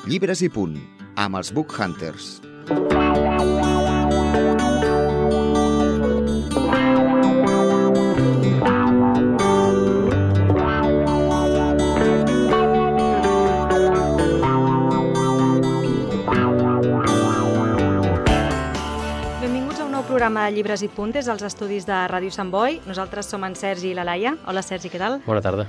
Llibres i punt, amb els Book Hunters. Benvinguts a un nou programa de Llibres i punt des dels estudis de Ràdio Sant Boi. Nosaltres som en Sergi i la Laia. Hola, Sergi, què tal? Bona tarda.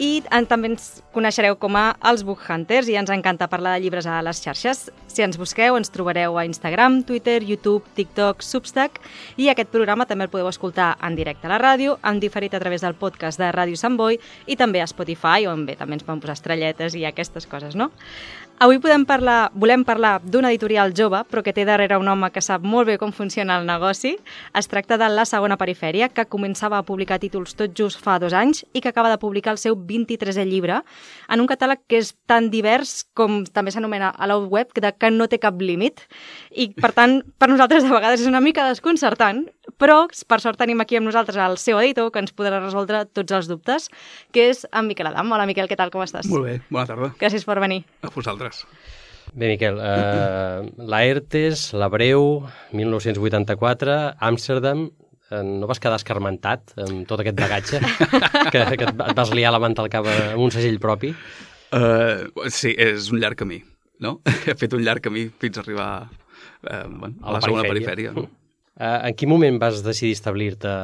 I també ens coneixereu com a els Book Hunters i ens encanta parlar de llibres a les xarxes. Si ens busqueu, ens trobareu a Instagram, Twitter, YouTube, TikTok, Substack, i aquest programa també el podeu escoltar en directe a la ràdio, en diferit a través del podcast de Ràdio Sant Boi i també a Spotify, on bé també ens poden posar estrelletes i aquestes coses, no? Avui volem parlar d'una editorial jove, però que té darrere un home que sap molt bé com funciona el negoci. Es tracta de La Segona Perifèria, que començava a publicar títols tot just fa 2 anys i que acaba de publicar el seu 23è llibre en un catàleg que és tan divers com també s'anomena a la web, que no té cap límit. I, per tant, per nosaltres de vegades és una mica desconcertant, però per sort tenim aquí amb nosaltres el seu editor, que ens podrà resoldre tots els dubtes, que és en Miquel Adam. Hola, Miquel, què tal, com estàs? Molt bé, bona tarda. Gràcies per venir. A vosaltres. Bé, Miquel, Laertes, l'Hebreu, 1984, Amsterdam. No vas quedar escarmentat amb tot aquest bagatge que et vas liar la manta al cap amb un segell propi? Sí, és un llarg camí, no? He fet un llarg camí fins a arribar a la segona perifèria. En quin moment vas decidir establir-te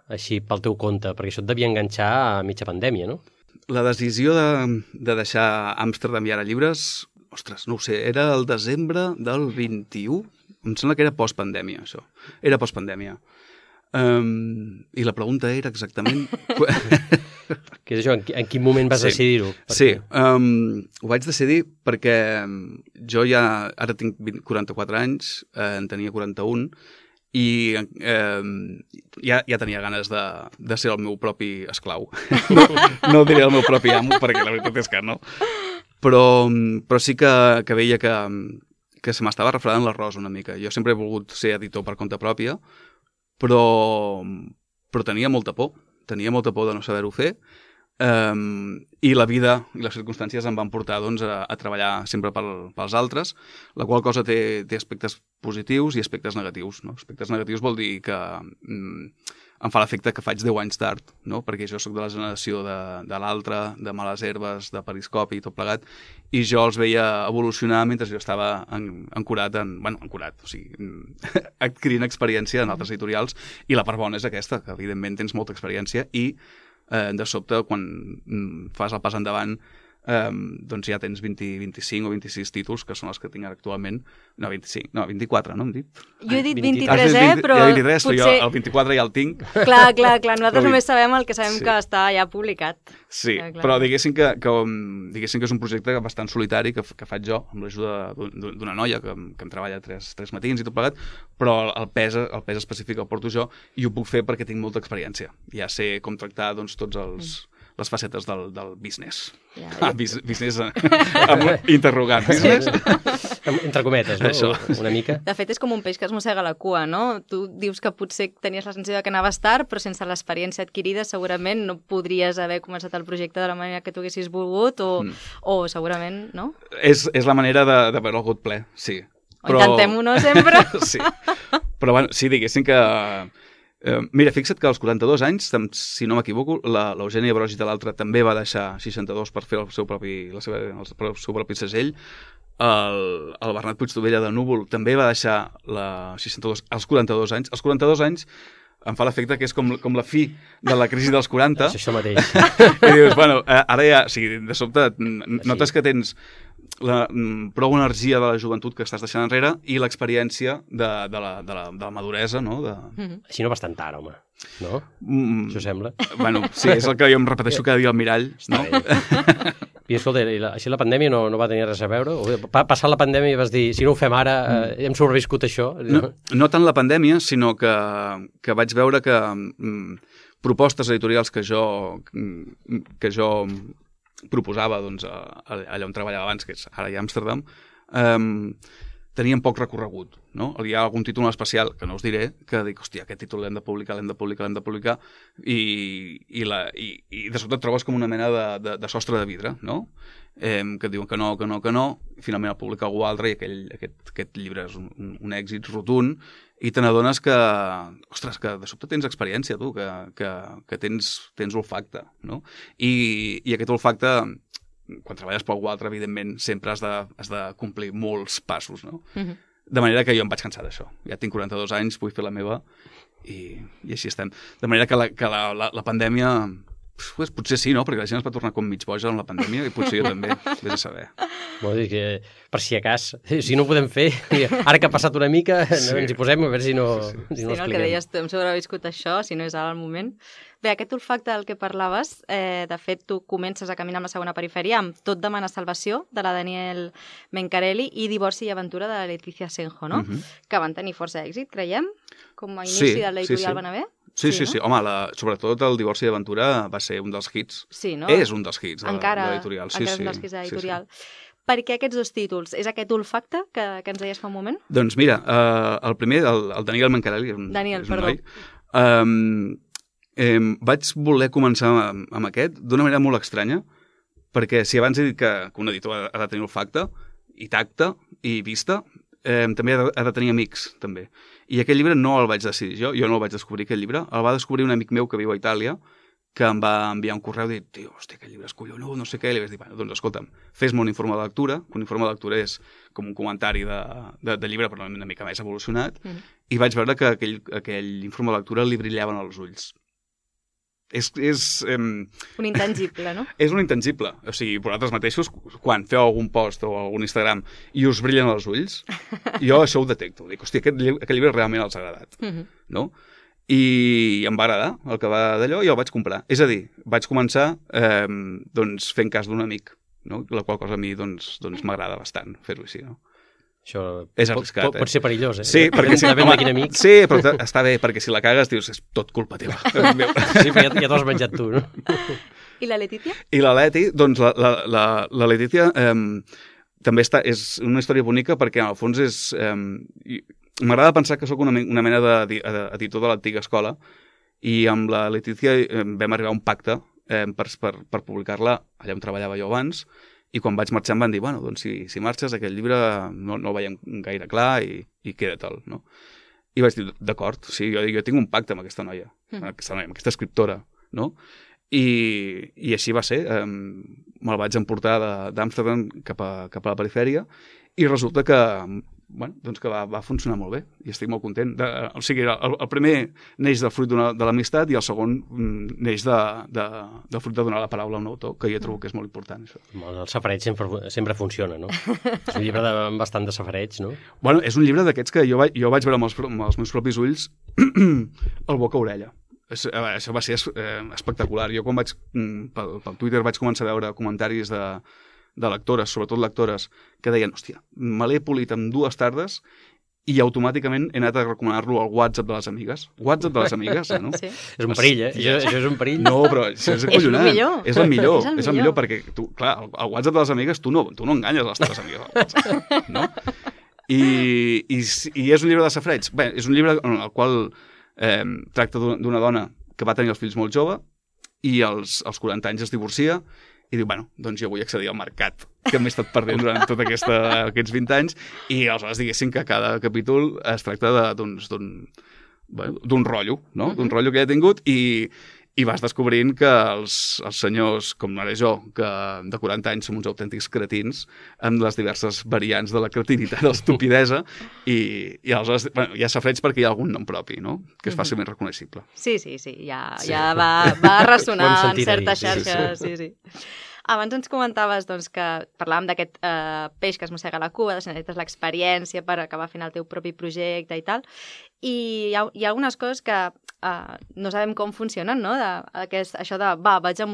així pel teu compte? Perquè això et devia enganxar a mitja pandèmia, no? La decisió de deixar Amsterdam i ara llibres, ostres, no ho sé, era el desembre del 21? Em sembla que era postpandèmia, això. Era postpandèmia. I la pregunta era exactament... Què és això? En quin moment vas decidir-ho? Sí, ho vaig decidir perquè jo ara tinc 44 anys, en tenia 41, i ja tenia ganes de ser el meu propi esclau. No diré el meu propi amo, perquè la veritat és que no. Però sí que veia que se m'estava refredant l'arròs una mica. Jo sempre he volgut ser editor per compte pròpia, però tenia molta por. Tenia molta por de no saber-ho fer. I la vida i les circumstàncies em van portar doncs, a treballar sempre pels altres, la qual cosa té aspectes positius i aspectes negatius. No? Aspectes negatius vol dir que em fa l'efecte que faig 10 anys tard, no? Perquè jo sóc de la generació de l'altre, de Males Herbes, de Periscopi i tot plegat, i jo els veia evolucionar mentre jo estava ancorat, o sigui, adquirint experiència en altres editorials, i la part bona és aquesta, que evidentment tens molta experiència i de sobte, quan fas el pas endavant, doncs ja tens 25 o 26 títols, que són els que tinc ara actualment. No, 25, no, 24, no hem dit? Jo he dit 23, però... Ja 23, potser... però jo el 24 ja el tinc. Clar, nosaltres només sabem el que sabem que està ja publicat. Sí, però diguéssim que és un projecte bastant solitari que faig jo, amb l'ajuda d'una noia que em treballa 3 matins i tot plegat, però el pes específic el porto jo i ho puc fer perquè tinc molta experiència. Ja sé com tractar doncs, tots les facetes del business. Business amb interrogant. Business? Entre cometes, no? Això. Una mica. De fet, és com un peix que es mossega la cua, no? Tu dius que potser tenies la sensació que anaves tard, però sense l'experiència adquirida segurament no podries haver començat el projecte de la manera que tu haguessis volgut o segurament, no? És la manera de veure el got ple, sí. Intentem-ho, no, sempre? Sí. Però bueno, sí, diguéssim que... Mira, fixa't que als 42 anys, si no m'equivoco, l'Eugènia Brogi de l'altre també va deixar 62 per fer el seu propi segell. El Bernat Puigdovella de Núvol també va deixar la 62 als 42 anys. Als 42 anys em fa l'efecte que és com la fi de la crisi dels 40. És això mateix. I dius, bueno, ara ja, o sigui, de sobte notes que tens prou energia de la joventut que estàs deixant enrere i l'experiència de la maduresa, no? Així no bastant tard, home, no? Això sembla. Bueno, sí, és el que jo em repeteixo cada dia al mirall, no? I escolta, així la pandèmia no va tenir res a veure? Passar la pandèmia i vas dir, si no ho fem ara, hem sobreviscut això? No tant la pandèmia, sinó que vaig veure que propostes editorials que jo proposava doncs, allà on treballava abans, que és ara a Amsterdam, tenien poc recorregut, no? Hi ha algun títol especial, que no us diré, que dic, hòstia, aquest títol l'hem de publicar, i de sobte et trobes com una mena de sostre de vidre, no? Que et diuen que no, i finalment el publica algú altre i aquest llibre és un èxit rotund, i te n'adones que, ostres, que de sobte tens experiència, tu, que tens olfacte, no? I aquest olfacte, quan treballes per algú altre, evidentment, sempre has de complir molts passos, no? De manera que jo em vaig cansar d'això. Ja tinc 42 anys, vull fer la meva, i així estem. De manera que la pandèmia... Pues, potser sí, no? Perquè la gent es va tornar com mig boja en la pandèmia i potser jo també, vés a saber. Vol dir que, per si a cas, si no ho podem fer, ara que ha passat una mica, ens hi posem a veure si no expliquem. El que deies tu, hem sobreviscut això, si no és ara el moment. Bé, aquest olfacte del que parlaves, de fet, tu comences a caminar amb la segona perifèria amb Tot demana salvació, de la Daniel Mencarelli, i Divorci i aventura, de la Leticia Senjo, no? Que van tenir força èxit, creiem, com a inici de l'editorial Benavent. Sí. Home, sobretot el Divorci i aventura va ser un dels hits. Sí, no? És un dels hits de l'editorial. Encara és un dels hits de l'editorial. Per què aquests dos títols? És aquest olfacte que ens deies fa un moment? Doncs mira, el primer, el Daniel Mencarelli, és un noi. Vaig voler començar amb aquest d'una manera molt estranya, perquè si abans he dit que un editor ha de tenir olfacte, i tacte, i vista, també ha de tenir amics, també. I aquest llibre no el vaig decidir jo no el vaig descobrir, aquest llibre, el va descobrir un amic meu que viu a Itàlia, que em va enviar un correu i dir, tio, hòstia, aquest llibre és collonut, no sé què, i li vaig dir, bueno, doncs escolta'm, fes-me un informe de lectura, que un informe de lectura és com un comentari de llibre, però una mica més evolucionat, i vaig veure que aquell informe de lectura li brillaven els ulls. És un intangible, no? És un intangible. O sigui, vosaltres mateixos, quan feu algun post o algun Instagram i us brillen els ulls, jo això ho detecto. Dic, hòstia, aquest llibre realment els ha agradat. No? I em va agradar el que va d'allò i el vaig comprar. És a dir, vaig començar doncs, fent cas d'un amic, no? La qual cosa a mi doncs, m'agrada bastant fer-ho així, no? Això és arriscat, pot ser perillós, eh? Sí, perquè depèn de quin amic. Sí, però està bé, perquè si la cagues dius, és tot culpa teva. Sí, però ja t'ho has menjat tu, no? I la Leticia? I la Leti, doncs la Leticia també és una història bonica perquè en el fons és... M'agrada pensar que sóc una mena d'editor de l'antiga escola i amb la Leticia vam arribar a un pacte per publicar-la allà on treballava jo abans. I quan vaig marxar em van dir, bueno, doncs si marxes aquest llibre no el veiem gaire clar i queda-te'l, no? I vaig dir, d'acord, sí, jo tinc un pacte amb aquesta noia, amb aquesta escriptora, no? I així va ser, me'l vaig emportar d'Amsterdam cap a la perifèria i resulta que, bueno, doncs que va funcionar molt bé i estic molt content. O sigui, el primer neix del fruit de l'amistat i el segon neix del fruit de donar la paraula a un autor, que jo trobo que és molt important. Això. El safareig sempre funciona, no? És un llibre bastant de safareig, no? Bueno, és un llibre d'aquests que jo vaig veure amb els meus propis ulls el boca-orella. Això va ser espectacular. Jo quan pel Twitter vaig començar a veure comentaris de lectores, sobretot lectores, que deien, hòstia, me l'he polit en 2 tardes i automàticament he anat a recomanar-lo al WhatsApp de les amigues. WhatsApp de les amigues, no? Sí. És un perill, eh? Això és un perill. No, però això és acollonant. És el millor. És el millor perquè, clar, al WhatsApp de les amigues tu no enganyes les teves amigues. No? I és un llibre de safareig. Bé, és un llibre en el qual tracta d'una dona que va tenir els fills molt jove i als 40 anys es divorcia i diu, bueno, doncs jo vull accedir al mercat que m'he estat perdent durant tots aquests 20 anys i aleshores diguéssim que cada capítol es tracta d'un rotllo, no? D'un rotllo que he tingut i vas descobrint que els senyors, com ara jo, que de 40 anys som uns autèntics cretins amb les diverses variants de la cretinitat, de l'estupidesa i aleshores hi ha safareig perquè hi ha algun nom propi, no? Que és fàcilment reconeixible. Sí, ja va ressonar en certes xarxes, sí. Abans ens comentaves doncs, que parlàvem d'aquest peix que es mossega la cua, si necessites l'experiència per acabar fent el teu propi projecte i tal. I hi ha algunes coses que no sabem com funcionen, no? Això de, vaig a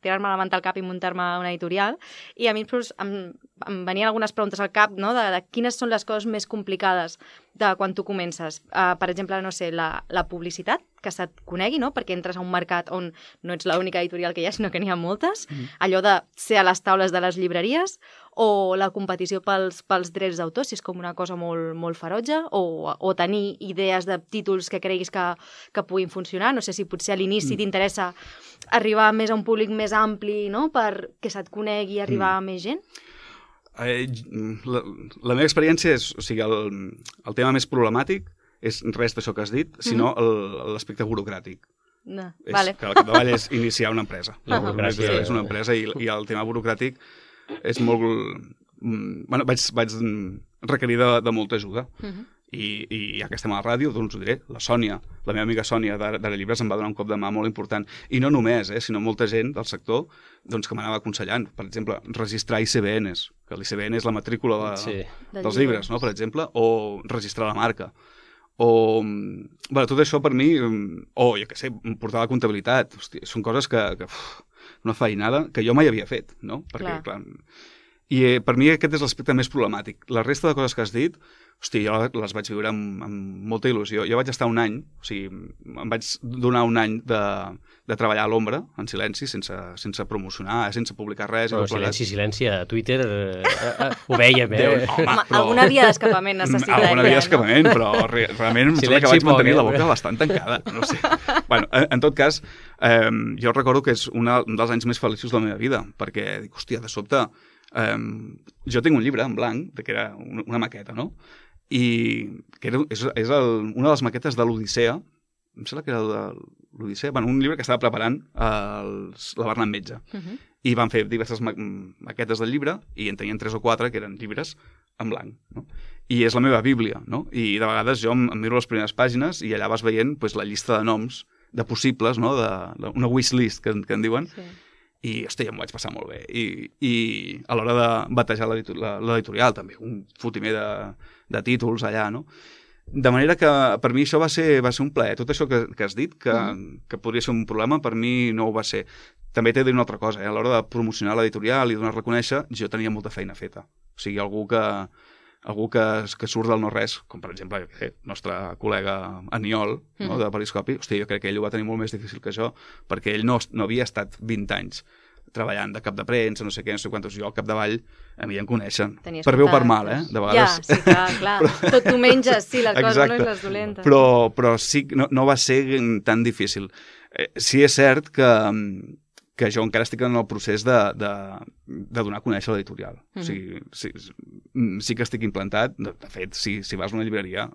tirar-me la manta al cap i muntar-me una editorial. I a mi em venien algunes preguntes al cap, no? De quines són les coses més complicades de quan tu comences. Per exemple, no sé, la publicitat, que se't conegui, no? Perquè entres a un mercat on no ets l'única editorial que hi ha, sinó que n'hi ha moltes. Allò de ser a les taules de les llibreries, o la competició pels drets d'autor, si és com una cosa molt ferotge, o tenir idees de títols que creguis que puguin funcionar. No sé si potser a l'inici t'interessa arribar més a un públic més ampli, no?, perquè se't conegui i arribar a més gent. La meva experiència és, o sigui, el tema més problemàtic és res d'això que has dit, sinó l'aspecte burocràtic. No. És Vale. que al capdavall és iniciar una empresa. La burocràcia. És una empresa i el tema burocràtic és molt... Bueno, vaig requerir de molta ajuda. I ja que estem a la ràdio, doncs ho diré, la Sònia, la meva amiga Sònia d'Ara Llibres em va donar un cop de mà molt important. I no només, sinó molta gent del sector doncs, que m'anava aconsellant. Per exemple, registrar ICBNs, que l'ICBN és la matrícula dels llibres, no?, per exemple, o registrar la marca. O, bueno, tot això per mi, o, jo què sé, portar la comptabilitat, hòstia, són coses que una feinada que jo mai havia fet, no? Perquè, clar, i per mi aquest és l'aspecte més problemàtic. La resta de coses que has dit, hosti, jo les vaig viure amb molta il·lusió. Jo vaig estar un any, o sigui, em vaig donar un any de treballar a l'ombra, en silenci, sense promocionar, sense publicar res. Però silenci, a Twitter ho veiem, Home, alguna via d'escapament necessita. Alguna via d'escapament, però realment em sembla que vaig mantenir la boca bastant tancada, no sé. Bueno, en tot cas, jo recordo que és un dels anys més feliços de la meva vida, perquè dic, hòstia, de sobte, jo tinc un llibre en blanc, que era una maqueta, no?, i que és una de les maquetes de l'Odissea, em sembla que era de l'Odissea, bueno, un llibre que estava preparant la Bernat Metge. I van fer diverses maquetes del llibre i en tenien 3 o 4 que eren llibres en blanc, no? I és la meva bíblia, no? I de vegades jo em miro les primeres pàgines i allà vas veient pues, la llista de noms de possibles, no?, una wishlist que en diuen. Sí. I, hosti, em vaig passar molt bé. I a l'hora de batejar l'editorial, també, un fotimer de títols allà, no? De manera que per mi això va ser un plaer. Tot això que has dit, que podria ser un problema, per mi no ho va ser. També t'he de dir una altra cosa, a l'hora de promocionar l'editorial i donar-la a conèixer, jo tenia molta feina feta. O sigui, algú que surt del no-res, com per exemple el nostre col·lega Aniol, no, de Periscopi, hosti, jo crec que ell ho va tenir molt més difícil que jo, perquè ell no havia estat 20 anys treballant de cap de premsa, no sé què, no sé quantos, jo al capdavall a mi em coneixen. Per bé o per mal, de vegades. Ja, sí, clar. Tot tu menges, sí, les coses no és les dolentes. Però sí, no va ser tan difícil. Sí és cert que jo encara estic en el procés de donar a conèixer l'editorial. O sigui, sí que estic implantat. De fet, si vas a una llibreria,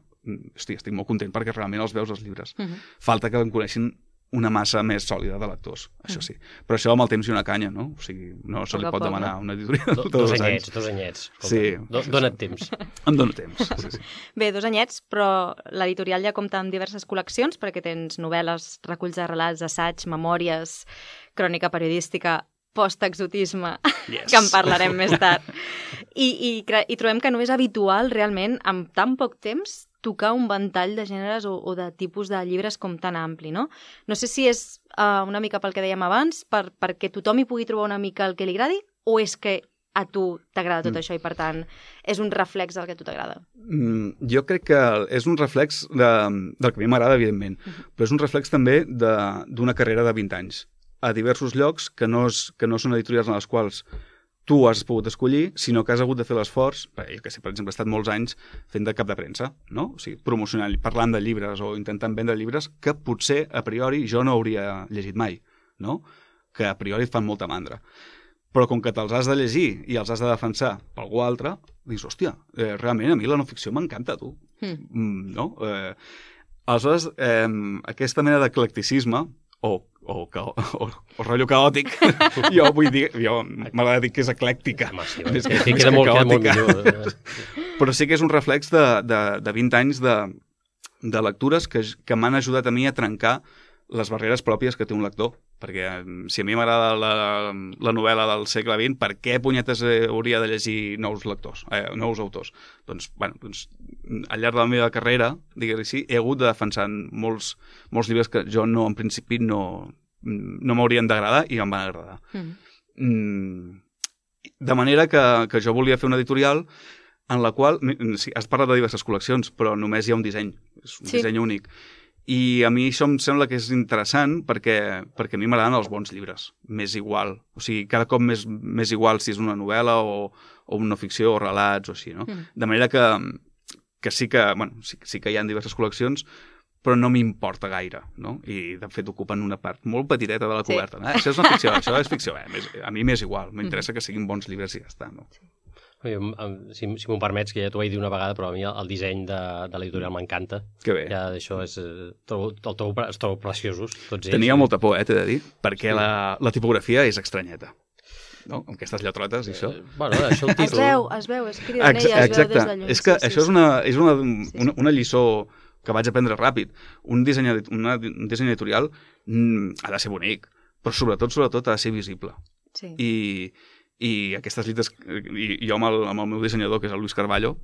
estic molt content perquè realment els veus els llibres. Falta que em coneixin una massa més sòlida de lectors, això sí. Però això amb el temps i una canya, no? O sigui, no se li pot demanar una editorial dos anyets. Sí. Dona't temps. Em dono temps, sí. Bé, 2 anyets, però l'editorial ja compta amb diverses col·leccions, perquè tens novel·les, reculls de relats, assaigs, memòries, crònica periodística, post-exotisme, que en parlarem més tard. I trobem que no és habitual, realment, amb tan poc temps, tocar un ventall de gèneres o de tipus de llibres com tan ampli, no? No sé si és una mica pel que dèiem abans, perquè tothom hi pugui trobar una mica el que li agradi, o és que a tu t'agrada tot això i, per tant, és un reflex del que a tu t'agrada? Jo crec que és un reflex del que a mi m'agrada, evidentment, però és un reflex també d'una carrera de 20 anys a diversos llocs que no són editorials en les quals tu has pogut escollir, sinó que has hagut de fer l'esforç, jo que sé, per exemple, he estat molts anys fent de cap de premsa, no? O sigui, promocionant, parlant de llibres o intentant vendre llibres que potser, a priori, jo no hauria llegit mai, no? Que a priori et fan molta mandra. Però com que te'ls has de llegir i els has de defensar per algú altre, dius, hòstia, realment a mi la no-ficció m'encanta, tu. No? Aleshores, aquesta mena d'eclecticisme o rotllo caòtic, jo vull dir, m'agrada dir que és eclèctica. Queda molt millor. Però sí que és un reflex de 20 anys de lectures que m'han ajudat a mi a trencar les barreres pròpies que té un lector. Perquè si a mi m'agrada la novel·la del segle XX, per què punyetes hauria de llegir nous autors? Doncs, al llarg de la meva carrera, diguem-ho així, he hagut de defensar molts llibres que jo en principi no m'haurien d'agradar i em van agradar. De manera que jo volia fer una editorial en la qual, has parlat de diverses col·leccions, però només hi ha un disseny, és un disseny únic. I a mi això em sembla que és interessant perquè a mi m'agraden els bons llibres, més igual. O sigui, cada cop més igual si és una novel·la o o no ficció, o relats, o així, no? De manera que sí que, bueno, sí que hi ha diverses col·leccions, però no m'importa gaire, no? I, de fet, ocupen una part molt petiteta de la coberta. Això és una ficció, això és ficció. A mi m'és igual, m'interessa que siguin bons llibres i ja està, no? Si m'ho permets, que ja t'ho vaig dir una vegada, però a mi el disseny de l'editorial m'encanta. Que bé. Ja d'això es trobo preciosos, tots ells. Tenia molta por, t'he de dir, perquè la tipografia és estranyeta. No? Amb aquestes lletrotes i això. Bueno, això el títol... Es veu, és cridanella, es veu des de lluny. És que això és una lliçó que vaig aprendre ràpid. Un disseny editorial ha de ser bonic, però sobretot ha de ser visible. Sí. I aquestes llites, i jo amb el meu dissenyador, que és el Luis Carballo,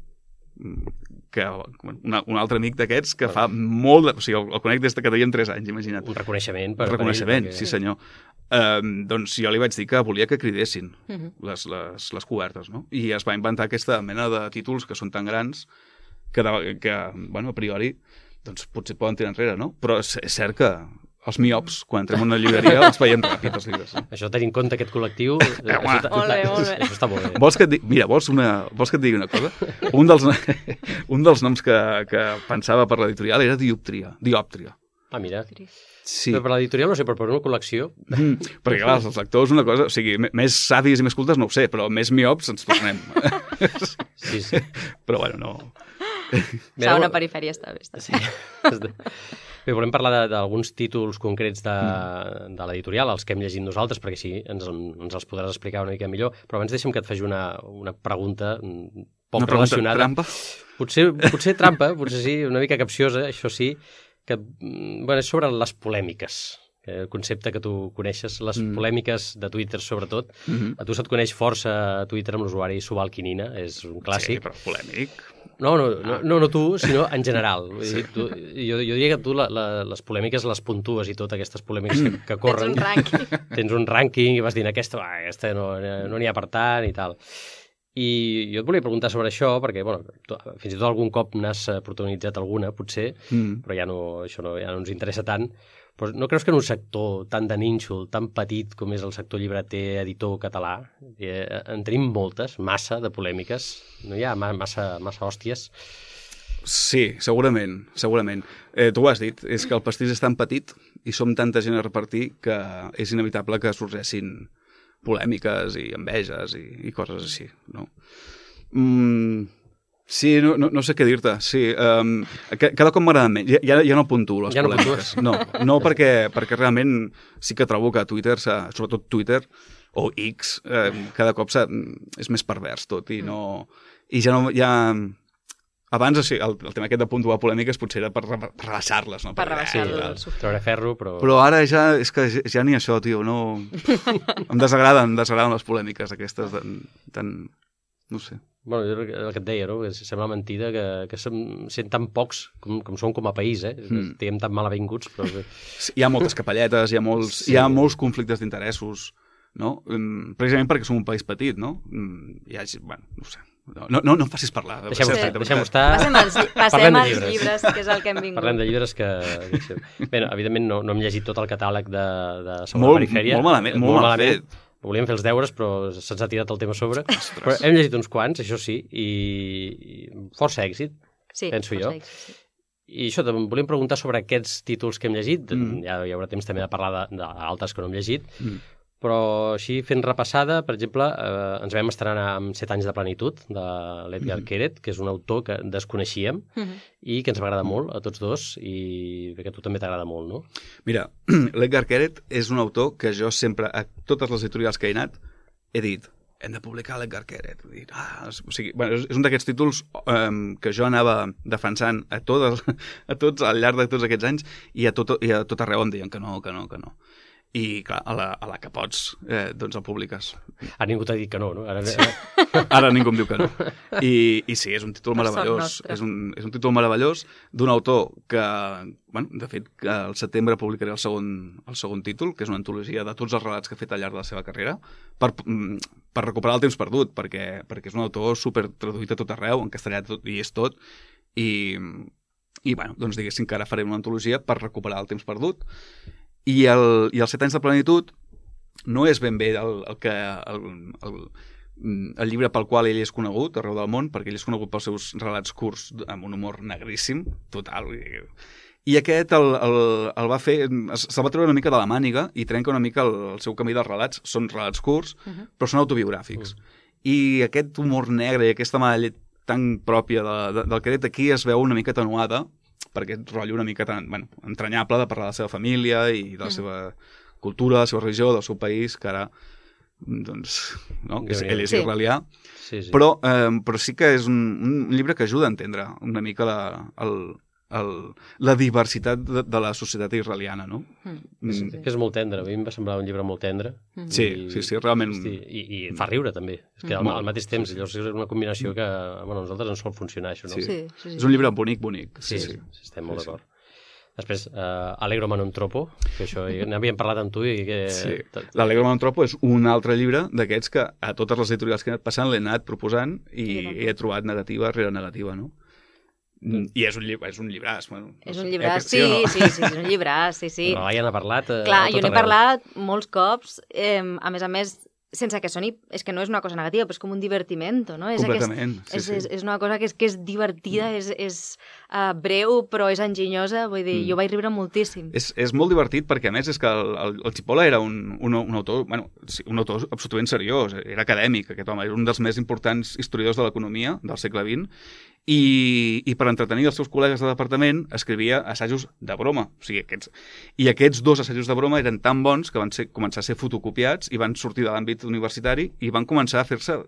que un altre amic d'aquests que fa molt de... O sigui, el conec des que teníem 3 anys, imagina't. Un reconeixement. Un reconeixement, sí senyor. Doncs jo li vaig dir que volia que cridessin les cobertes, no? I es va inventar aquesta mena de títols que són tan grans que bueno, a priori, doncs potser poden tirar enrere, no? Però és cert que els miops, quan entrem en una llibreria, els veiem ràpid, els llibres. Això tenint en compte aquest col·lectiu... Molt bé. Això està molt bé. Vols que et digui una cosa? Un dels noms que pensava per l'editorial era Diòptria. Ah, mira. Sí. Però per l'editorial no sé, però per una col·lecció... Perquè, clar, els lectors una cosa... O sigui, més savis i més cultes no ho sé, però més miops ens tornem. Sí. Però, bueno, no... Una perifèria està bé. Sí. Bé, volem parlar d'alguns títols concrets de l'editorial, els que hem llegit nosaltres, perquè així ens els podràs explicar una mica millor. Però abans deixa'm que et faci una pregunta poc relacionada. Una pregunta trampa? Potser trampa, potser sí, una mica capciosa, això sí, que és sobre les polèmiques. El concepte que tu coneixes, les polèmiques de Twitter sobretot. A tu se't coneix força a Twitter amb l'usuari Subalquinina, és un clàssic. Sí, però polèmic... No tu, sinó en general. Sí. Jo diria que tu les polèmiques les puntues i tot, aquestes polèmiques que corren. Tens un rànquing i vas dir, aquesta no n'hi ha per tant i tal. I jo et volia preguntar sobre això, perquè fins i tot algun cop n'has protagonitzat alguna, potser, però això ja no ens interessa tant. Però no creus que en un sector tan de nínxol, tan petit com és el sector llibreter, editor català, en tenim moltes, massa de polèmiques, no hi ha massa hòsties? Sí, segurament. Tu ho has dit, és que el pastís és tan petit i som tanta gent a repartir que és inevitable que sorgeixin polèmiques i enveges i coses així, no? Sí, no sé què dir-te. Sí, cada cop m'agrada menys. Ja no puntuo les polèmiques. No, perquè realment sí que trobo que Twitter, sobretot Twitter o X, cada cop és més pervers tot i no... I ja... Abans, el tema aquest de puntuar polèmiques potser era per rebaixar-les, no? Per rebaixar-les. Treure ferro, però... Però ara és que ja ni això, tio, no... Em desagraden les polèmiques aquestes tan... No sé. Bueno, el que et deia, no? Que sembla mentida que sent tan pocs com som com a país, Diguem tan malavinguts, però... Hi ha moltes capelletes, hi ha molts conflictes d'interessos, no? Precisament perquè som un país petit, no? Bueno, no sé. No em facis parlar. Deixem-ho estar. Passem als llibres, que és el que hem vingut. Parlem de llibres que... Bé, evidentment no hem llegit tot el catàleg de Segona Perifèria. Molt mal fet. Volíem fer els deures, però se'ns ha tirat el tema a sobre. Però hem llegit uns quants, això sí, i força èxit, penso jo. I això, volíem preguntar sobre aquests títols que hem llegit. Ja hi haurà temps també de parlar d'altres que no hem llegit. Però així, fent repassada, per exemple, ens vam estrenar amb 7 anys de plenitud, de l'Edgar Queret, que és un autor que desconeixíem i que ens va agradar molt a tots dos, i que a tu també t'agrada molt, no? Mira, l'Edgar Queret és un autor que jo sempre, a totes les editorials que he anat, he dit, hem de publicar l'Edgar Queret. O sigui, és un d'aquests títols que jo anava defensant a tots al llarg de tots aquests anys i a tot arreu em deien que no. I, clar, a la que pots, doncs el publiques. Ara ningú t'ha dit que no, no? Ara ningú em diu que no. I sí, és un títol meravellós. És un títol meravellós d'un autor que, de fet, al setembre publicaré el segon títol, que és una antologia de tots els relats que ha fet al llarg de la seva carrera, per recuperar el temps perdut, perquè és un autor super traduït a tot arreu, en castellà i és tot, i doncs diguéssim que ara farem una antologia per recuperar el temps perdut. I els 7 anys de plenitud no és ben bé el que el llibre pel qual ell és conegut arreu del món, perquè ell és conegut pels seus relats curts amb un humor negríssim, total. I aquest el va fer, se'l va treure una mica de la màniga i trenca una mica el seu camí dels relats. Són relats curts, però són autobiogràfics. I aquest humor negre i aquesta mala llet tan pròpia del Quedet aquí es veu una mica atenuada per aquest rotllo una mica tan entranyable de parlar de la seva família i de la seva cultura, de la seva religió, del seu país, que ara doncs, no? Ell és israelià, però sí que és un llibre que ajuda a entendre una mica la diversitat de la societat israeliana, no? És molt tendre, a mi em va semblar un llibre molt tendre. Sí, realment. I fa riure, també. És que al mateix temps, llavors és una combinació que a nosaltres ens sol funcionar, això, no? Sí. És un llibre bonic. Sí, estem molt d'acord. Després, Allegro Ma non troppo, que això n'havíem parlat amb tu i que... Sí, l'Allegro Ma non troppo és un altre llibre d'aquests que a totes les editorials que he anat passant l'he anat proposant i he trobat negativa rere negativa, no? I és un llibràs. Bueno, és un llibràs, sí, és un llibràs, sí. Però ja n'ha parlat Clar, jo n'he parlat molts cops, a més, sense que soni, és que no és una cosa negativa, però és com un divertimento, no? Completament, és una cosa que és divertida, és breu, però és enginyosa, vull dir, jo vaig riure moltíssim. És molt divertit perquè, a més, és que el Chipola era un autor, un autor absolutament seriós, era acadèmic, aquest home, era un dels més importants historiadors de l'economia del segle XX, i per entretenir els seus col·legues de departament escrivia assajos de broma. O sigui, aquests dos assajos de broma eren tan bons que van començar a ser fotocopiats i van sortir de l'àmbit universitari i van començar a fer-se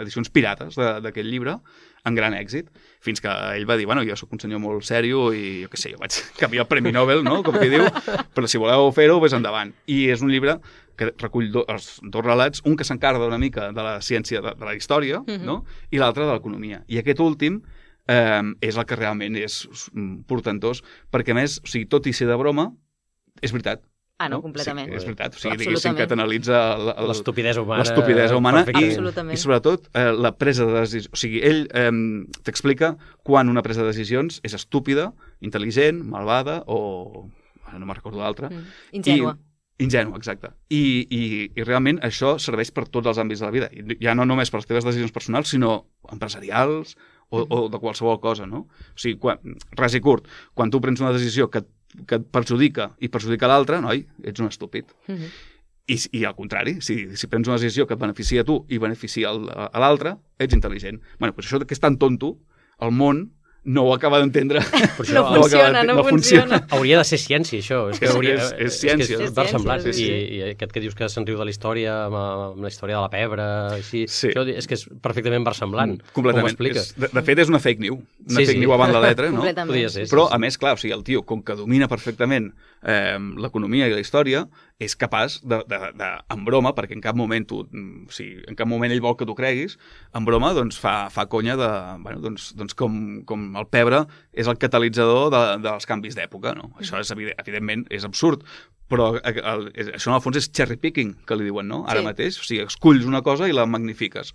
edicions pirates d'aquest llibre amb gran èxit, fins que ell va dir, bueno, jo sóc un senyor molt sèrio i jo què sé, jo vaig canviar el Premi Nobel, no?, com qui diu, però si voleu fer-ho, vés endavant. I és un llibre que recull els dos relats, un que s'encarga una mica de la ciència, de la història, no?, i l'altre de l'economia. I aquest últim és el que realment és portentós, perquè a més, o sigui, tot i ser de broma, és veritat. No, completament. Sí, és veritat, o sigui, diguéssim que t'analitza l'estupidesa humana. L'estupidesa humana i sobretot la presa de decisions. O sigui, ell t'explica quan una presa de decisions és estúpida, intel·ligent, malvada o... no me'n recordo l'altra. Ingènua. Ingènua, exacte. I realment això serveix per tots els àmbits de la vida. Ja no només per les teves decisions personals, sinó empresarials o de qualsevol cosa, no? O sigui, res i curt, quan tu prens una decisió que et perjudica i perjudica l'altre, noi, ets un estúpid. I al contrari, si prens una decisió que et beneficia a tu i beneficia a l'altre, ets intel·ligent. Bueno, doncs això que és tan tonto, el món no ho acaba d'entendre. No funciona. Hauria de ser ciència, això. És ciència. És versemblant. I aquest que dius que se'n riu de la història, amb la història de la pebre, així, això és que és perfectament versemblant. Completament. De fet, és una fake news. Una fake news abans la letra, no? Però, a més, clar, el tio, com que domina perfectament l'economia i la història, és capaç en broma, perquè en cap moment ell vol que tu creguis, en broma fa conya com el pebre és el catalitzador dels canvis d'època, no? Això és, evidentment, és absurd, però això en el fons és cherry picking, que li diuen, no? Ara mateix, o sigui, esculls una cosa i la magnifiques.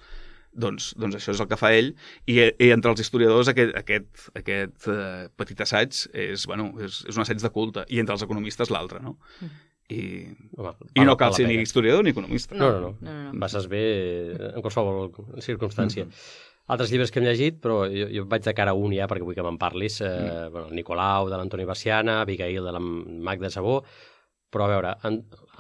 Doncs això és el que fa ell, i entre els historiadors aquest petit assaig és un assaig de culte, i entre els economistes l'altre, no? I no cal ser ni historiador ni economista. No. Passes bé en qualsevol circumstància. Altres llibres que hem llegit, però jo vaig de cara a un ja, perquè vull que me'n parlis. El Nicolau, de l'Antoni Barciana, Abigail, de la Magda Sabó, però a veure,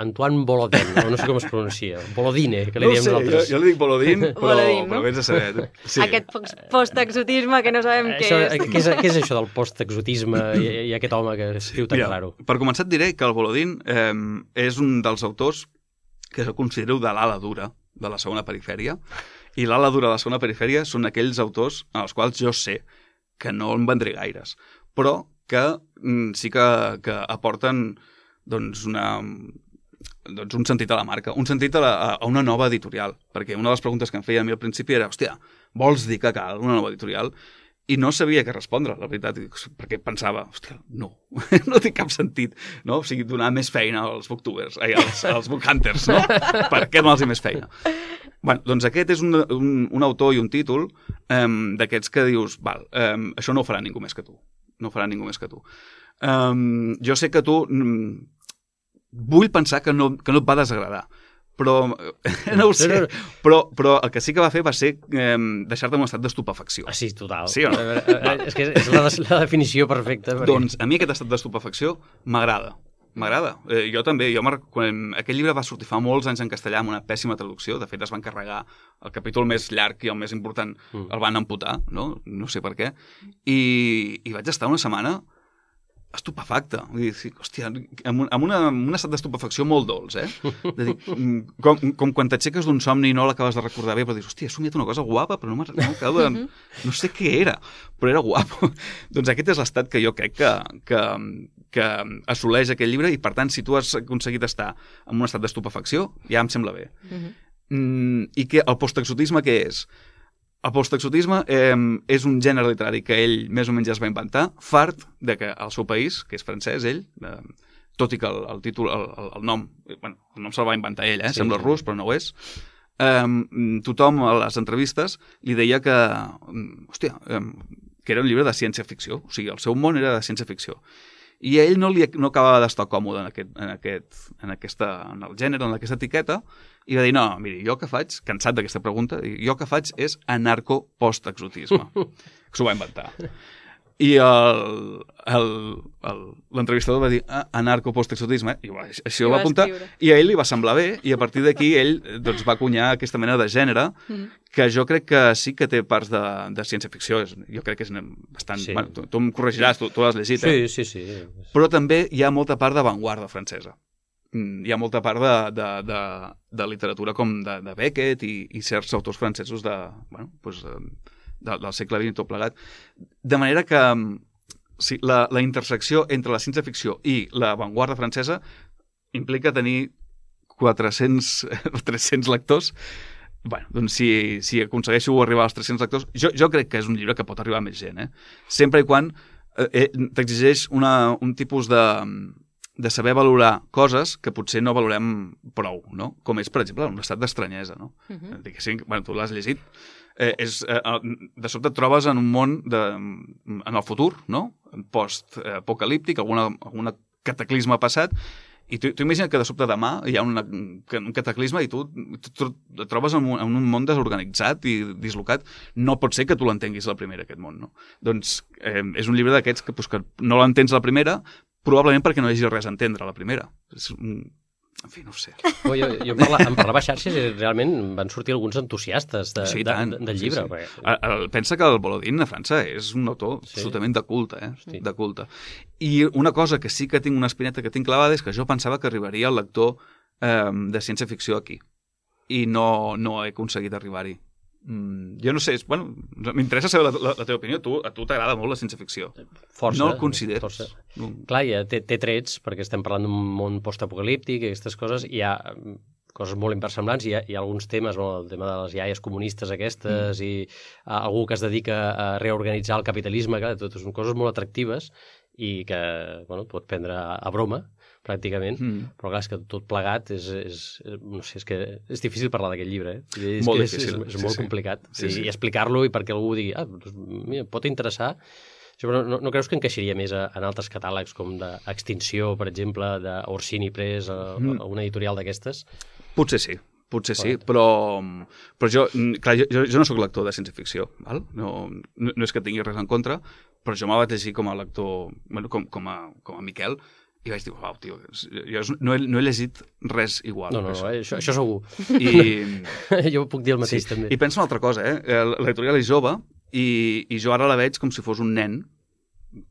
Antoine Volodin, no sé com es pronuncia, Volodine, que li diem nosaltres. Jo li dic Volodin, però vés a saber. Aquest post-exotisme que no sabem què és. Què és això del post-exotisme i aquest home que escriu tan raro? Per començar et diré que el Volodin és un dels autors que jo considero de l'ala dura de la segona perifèria, i l'ala dura de la segona perifèria són aquells autors en els quals jo sé que no en vendré gaires, però que sí que aporten un sentit a la marca, un sentit a una nova editorial, perquè una de les preguntes que em feia a mi al principi era, hòstia, vols dir que cal una nova editorial? I no sabia què respondre, la veritat, perquè pensava, hòstia, no té cap sentit, no? O sigui, donar més feina als booktubers, als bookhunters, no? Per què donar-los més feina? Bueno, doncs aquest és un autor i un títol d'aquests que dius, val, això no ho farà ningú més que tu. No ho farà ningú més que tu. Jo sé que tu... Vull pensar que no et va desagradar, però no ho sé. Però el que sí que va fer va ser deixar-te en un estat d'estupefacció. Ah, sí, total. Sí o no? És que és la definició perfecta. Perquè... Doncs a mi aquest estat d'estupefacció m'agrada. M'agrada. Jo també. Quan aquest llibre va sortir fa molts anys en castellà amb una pèssima traducció. De fet, es van carregar el capítol més llarg i el més important. El van amputar, no? No sé per què. I vaig estar una setmana estupefacte. Vull dir, hòstia, amb un estat d'estupefacció molt dolç, De dir, com quan t'aixeques d'un somni i no l'acabes de recordar bé, però dius, hòstia, he somiat una cosa guapa, però no sé què era, però era guapo. Doncs aquest és l'estat que jo crec que assoleix aquest llibre i, per tant, si tu has aconseguit estar en un estat d'estupefacció, ja em sembla bé. I que el postexotisme què és? El postexotisme és un gènere literari que ell més o menys ja es va inventar, fart de que el seu país, que és francès, ell, tot i que el títol, el nom se'l va inventar ell, sembla rus, però no ho és, tothom a les entrevistes li deia que, que era un llibre de ciència-ficció, o sigui, el seu món era de ciència-ficció. I ell no acabava d'estar còmode en el gènere, en aquesta etiqueta, i va dir, no, miri, jo que faig, cansat d'aquesta pregunta, jo que faig és anarco-postexotisme. S'ho va inventar. I l'entrevistador va dir anarco-postexotisme, i així ho va apuntar, i a ell li va semblar bé, i a partir d'aquí ell va acunyar aquesta mena de gènere, que jo crec que sí que té parts de ciència-ficció, jo crec que és bastant... Sí. Bueno, tu em corregiràs, tu l'has llegit, Sí. Però també hi ha molta part d'avantguarda francesa. Hi ha molta part de literatura com de Beckett i certs autors francesos del segle XX tot plegat. De manera que la intersecció entre la ciència-ficció i l'avantguarda francesa implica tenir 300 lectors. Bueno, doncs si aconsegueixo arribar als 300 lectors, jo crec que és un llibre que pot arribar a més gent, sempre i quan t'exigeix un tipus de saber valorar coses que potser no valorem prou, no? Com és, per exemple, un estat d'estranyesa, no? Tu l'has llegit, de sobte et trobes en un món en el futur, no? Post-apocalíptic, alguna cataclisme passat, i tu imagina't que de sobte demà hi ha un cataclisme i tu et trobes en un món desorganitzat i dislocat. No pot ser que tu l'entenguis a la primera, aquest món, no? Doncs és un llibre d'aquests que no l'entens a la primera, probablement perquè no hi hagi res a entendre a la primera. En fi, no ho sé. Jo em parlava a xarxes i realment van sortir alguns entusiastes del llibre. Sí. Pensa que el Volodin a França és un autor absolutament de culte, de culte. I una cosa que sí que tinc una espineta que tinc clavada és que jo pensava que arribaria el lector de ciència-ficció aquí. I no he aconseguit arribar-hi. Jo no sé, m'interessa saber la teva opinió. A tu t'agrada molt la ciència-ficció. Força. No el consideres? Força. Clar, té trets, perquè estem parlant d'un món postapocalíptic i aquestes coses, i hi ha coses molt inversemblants, hi ha alguns temes, el tema de les iaies comunistes aquestes, i algú que es dedica a reorganitzar el capitalisme, clar, totes són coses molt atractives i que pot prendre a broma, pràcticament, però clar, és que tot plegat no sé, és que és difícil parlar d'aquest llibre, Molt difícil. És molt complicat. I explicar-lo i perquè algú digui, mira, pot interessar. Però no creus que encaixaria més en altres catàlegs com d'Extinció, per exemple, d'Orsini Press, o una editorial d'aquestes? Potser sí, però jo no sóc lector de ciència-ficció, no és que tingui res en contra, però jo me'l vaig llegir com a lector, com a Miquel, i vaig dir, uau, tio, jo no he llegit res igual. No, això segur. Jo puc dir el mateix, també. I penso una altra cosa, l'editorial és jove, i jo ara la veig com si fos un nen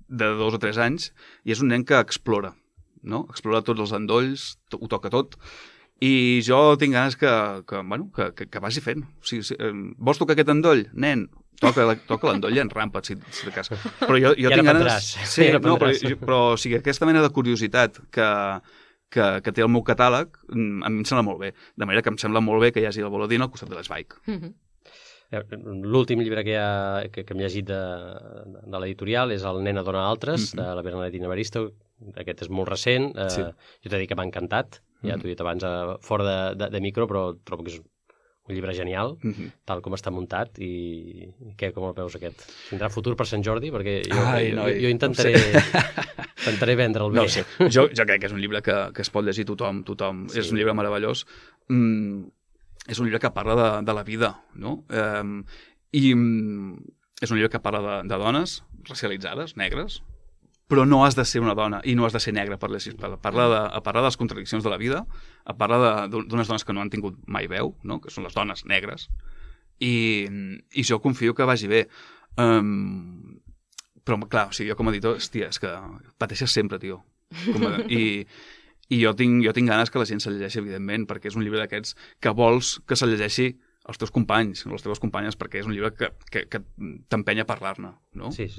de 2 o 3 anys, i és un nen que explora, no? Explora tots els endolls, ho toca tot, i jo tinc ganes que vagi fent. O sigui, vols tocar aquest endoll? Nen, toca l'endoll i enrampa't, si de cas. Però jo tinc ganes... Sí, però o sigui, aquesta mena de curiositat que té el meu catàleg, a mi em sembla molt bé. De manera que em sembla molt bé que hi hagi el Volodin al costat de l'Sveig. L'últim llibre que hem llegit de l'editorial és El nen dona altres, de la Bernadette Evaristo. Aquest és molt recent. Jo t'he dit que m'ha encantat. Ja t'ho he dit abans fora de micro, però trobo que és un llibre genial, tal com està muntat. I com el veus aquest? Tindrà futur per Sant Jordi? Perquè jo intentaré... Intentaré vendre'l bé. No sé, jo crec que és un llibre que es pot llegir tothom. Sí. És un llibre meravellós. És un llibre que parla de la vida, no? I és un llibre que parla de dones racialitzades, negres, però no has de ser una dona i no has de ser negra per llegir. Parla de les contradiccions de la vida, parla d'unes dones que no han tingut mai veu, no? Que són les dones negres, i jo confio que vagi bé. Però, clar, o sigui, jo com a editor, hòstia, és que pateixes sempre, tio. I jo tinc ganes que la gent se llegeixi, evidentment, perquè és un llibre d'aquests que vols que se llegeixi els teus companys, les teves companyes, perquè és un llibre que t'empenya a parlar-ne, no? Sí.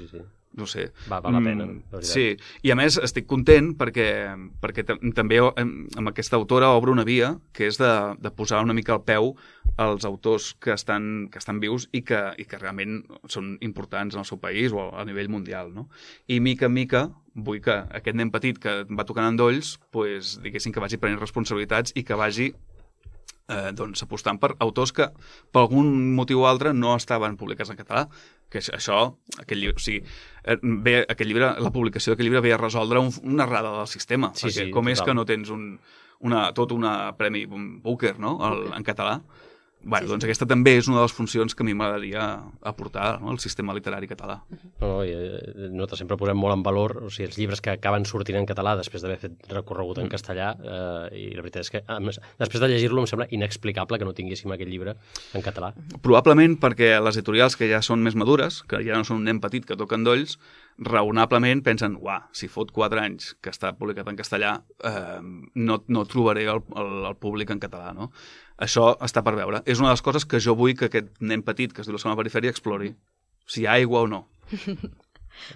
No sé. Val la pena, la veritat. Sí, i a més estic content perquè també amb aquesta autora obre una via que és de posar una mica al peu als autors que estan vius i que realment són importants en el seu país o a nivell mundial, no? I mica en mica vull que aquest nen petit que va tocant endolls, pues, diguéssim que vagi prenent responsabilitats i que vagi doncs apostant per autors que per algun motiu o altre no estaven publicats en català, que aquest llibre, o sigui, la publicació d'aquest llibre ve a resoldre una errada del sistema, perquè com és que no tens tot un premi Booker, no?, en català. Bueno, doncs aquesta també és una de les funcions que a mi m'agradaria aportar, no?, al sistema literari català. Nosaltres sempre posem molt en valor, o sigui, els llibres que acaben sortint en català després d'haver fet recorregut en castellà, i la veritat és que després de llegir-lo em sembla inexplicable que no tinguéssim aquest llibre en català. Probablement perquè les editorials que ja són més madures, que ja no són un nen petit que toca endolls, raonablement pensen, si fot 4 anys que està publicat en castellà, no trobaré el públic en català, no? Això està per veure. És una de les coses que jo vull que aquest nen petit, que es diu la segona perifèria, explori. Si hi ha aigua o no.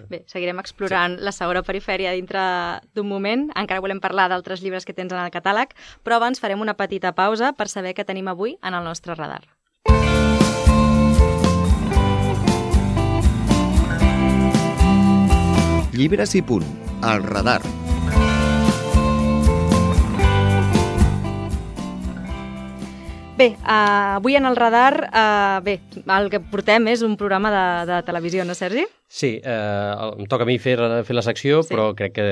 Bé, seguirem explorant la segona perifèria dintre d'un moment. Encara volem parlar d'altres llibres que tens en el catàleg, però abans farem una petita pausa per saber què tenim avui en el nostre radar. Llibres i punt, al radar. Bé, avui en el radar, el que portem és un programa de televisió, no, Sergi? Sí, em toca a mi fer la secció, però crec que...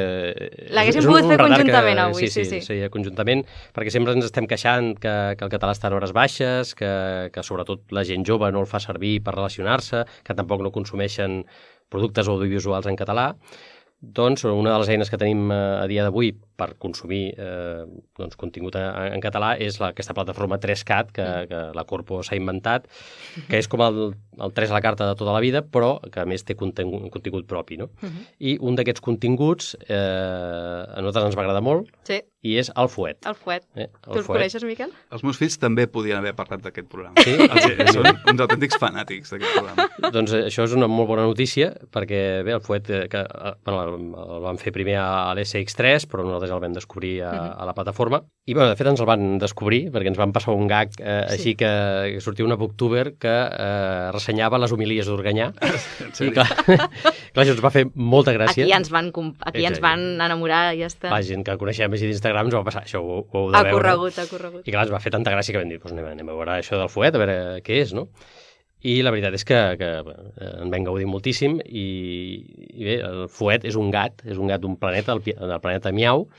L'haguéssim pogut fer conjuntament avui, sí. Sí, conjuntament, perquè sempre ens estem queixant que el català està en hores baixes, que sobretot la gent jove no el fa servir per relacionar-se, que tampoc no consumeixen productes audiovisuals en català. Doncs una de les eines que tenim a dia d'avui per consumir contingut en català és aquesta plataforma 3CAT que la Corpo s'ha inventat, que és com el 3 a la carta de tota la vida, però que a més té contingut propi, no? I un d'aquests continguts a nosaltres ens va agradar molt, i és El Fuet. El Fuet. Tu el coneixes, Miquel? Els meus fills també podien haver parlat d'aquest programa. Sí? Són uns autèntics fanàtics d'aquest programa. Doncs això és una molt bona notícia, perquè bé, El Fuet el van fer primer a l'SX3, però nosaltres el vam descobrir a la plataforma. I bé, de fet ens el van descobrir, perquè ens van passar un gag així que sortia una booktuber que ressenyava les homilies d'Organyà. I clar, això ens va fer molta gràcia. Aquí ens van enamorar, ja està. La gent que coneixem així d'Instagram ens va passar, això ho heu de veure. Ha corregut. I clar, ens va fer tanta gràcia que vam dir, anem a veure això del Fuet, a veure què és, no? I la veritat és que en vam gaudir moltíssim i bé, el Fuet és un gat d'un planeta, del planeta Miau,